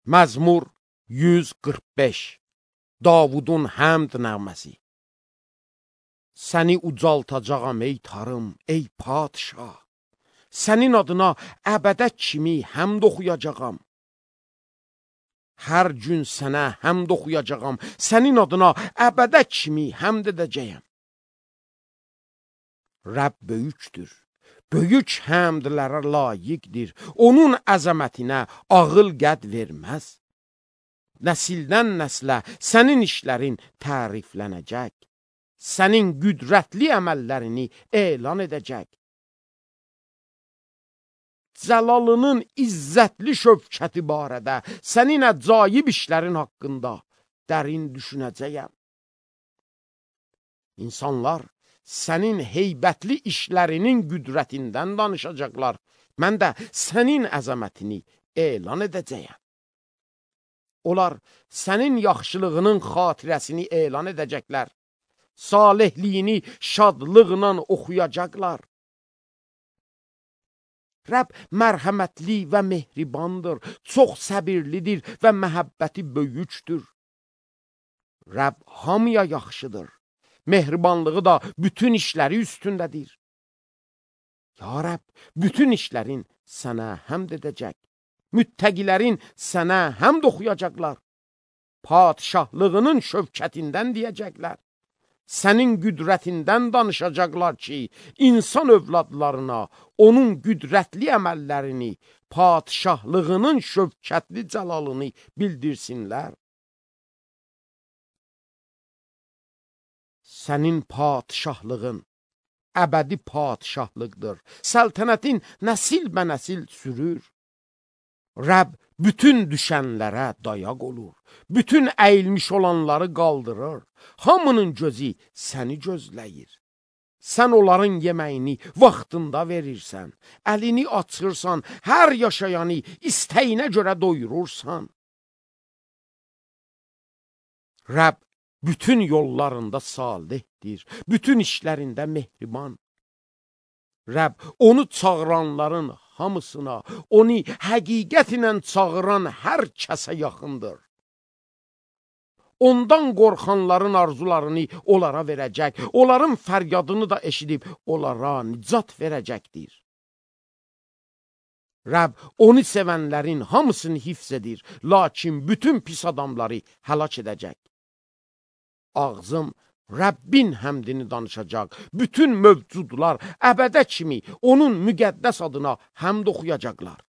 Məzmur 145 Davudun həmd nəğməsi. Səni ucaltacağam ey tarım, ey padişah. Sənin adına əbədə kimi həmd oxuyacağam. Hər gün sənə həmd oxuyacağam, sənin adına əbədə kimi həmd edəcəyəm. Rəbb böyükdür, böyük həmdlərə layiqdir, onun əzəmətinə ağıl qəd verməz. Nəsildən nəslə sənin işlərin təriflənəcək, sənin qüdrətli əməllərini elan edəcək. Cəlalının izzətli şövkəti barədə sənin əcaib işlərin haqqında dərin düşünəcəyəm. İnsanlar sənin heybətli işlərinin qüdrətindən danışacaqlar. Mən də sənin əzəmətini elan edəcəyəm. Onlar sənin yaxşılığının xatirəsini elan edəcəklər. Salehliyini şadlıqla oxuyacaqlar. Rəbb mərhəmətli və mehribandır, çox səbirlidir və məhəbbəti böyükdür. Rəbb hamıya yaxşıdır, mehribanlığı da bütün işləri üstündədir. Ya Rəbb, bütün işlərin sənə həmd edəcək, müttəqilərin sənə həmd oxuyacaqlar, padişahlığının şövkətindən deyəcəklər. Sənin qüdrətindən danışacaqlar ki, insan övladlarına onun qüdrətli əməllərini, padişahlığının şövkətli cəlalını bildirsinlər. Sənin padişahlığın əbədi padişahlıqdır, səltənətin nəsil bə nəsil sürür. Rəbb bütün düşənlərə dayaq olur, bütün əyilmiş olanları qaldırır, hamının gözü səni gözləyir. Sən onların yeməyini vaxtında verirsən, əlini açırsan, hər yaşayanı istəyinə görə doyurursan. Rəbb bütün yollarında salihdir, bütün işlərində mehriban. Rəbb onu çağıranların hamısına, onu həqiqətlə çağıran hər kəsə yaxındır. Ondan qorxanların arzularını onlara verəcək, onların fəryadını da eşidib onlara nicat verəcəkdir. Rəbb onu sevənlərin hamısını hifz edir, lakin bütün pis adamları həlak edəcək. Ağzım Rəbbin həmdini danışacaq, bütün mövcudlar əbədə kimi onun müqəddəs adına həmd oxuyacaqlar.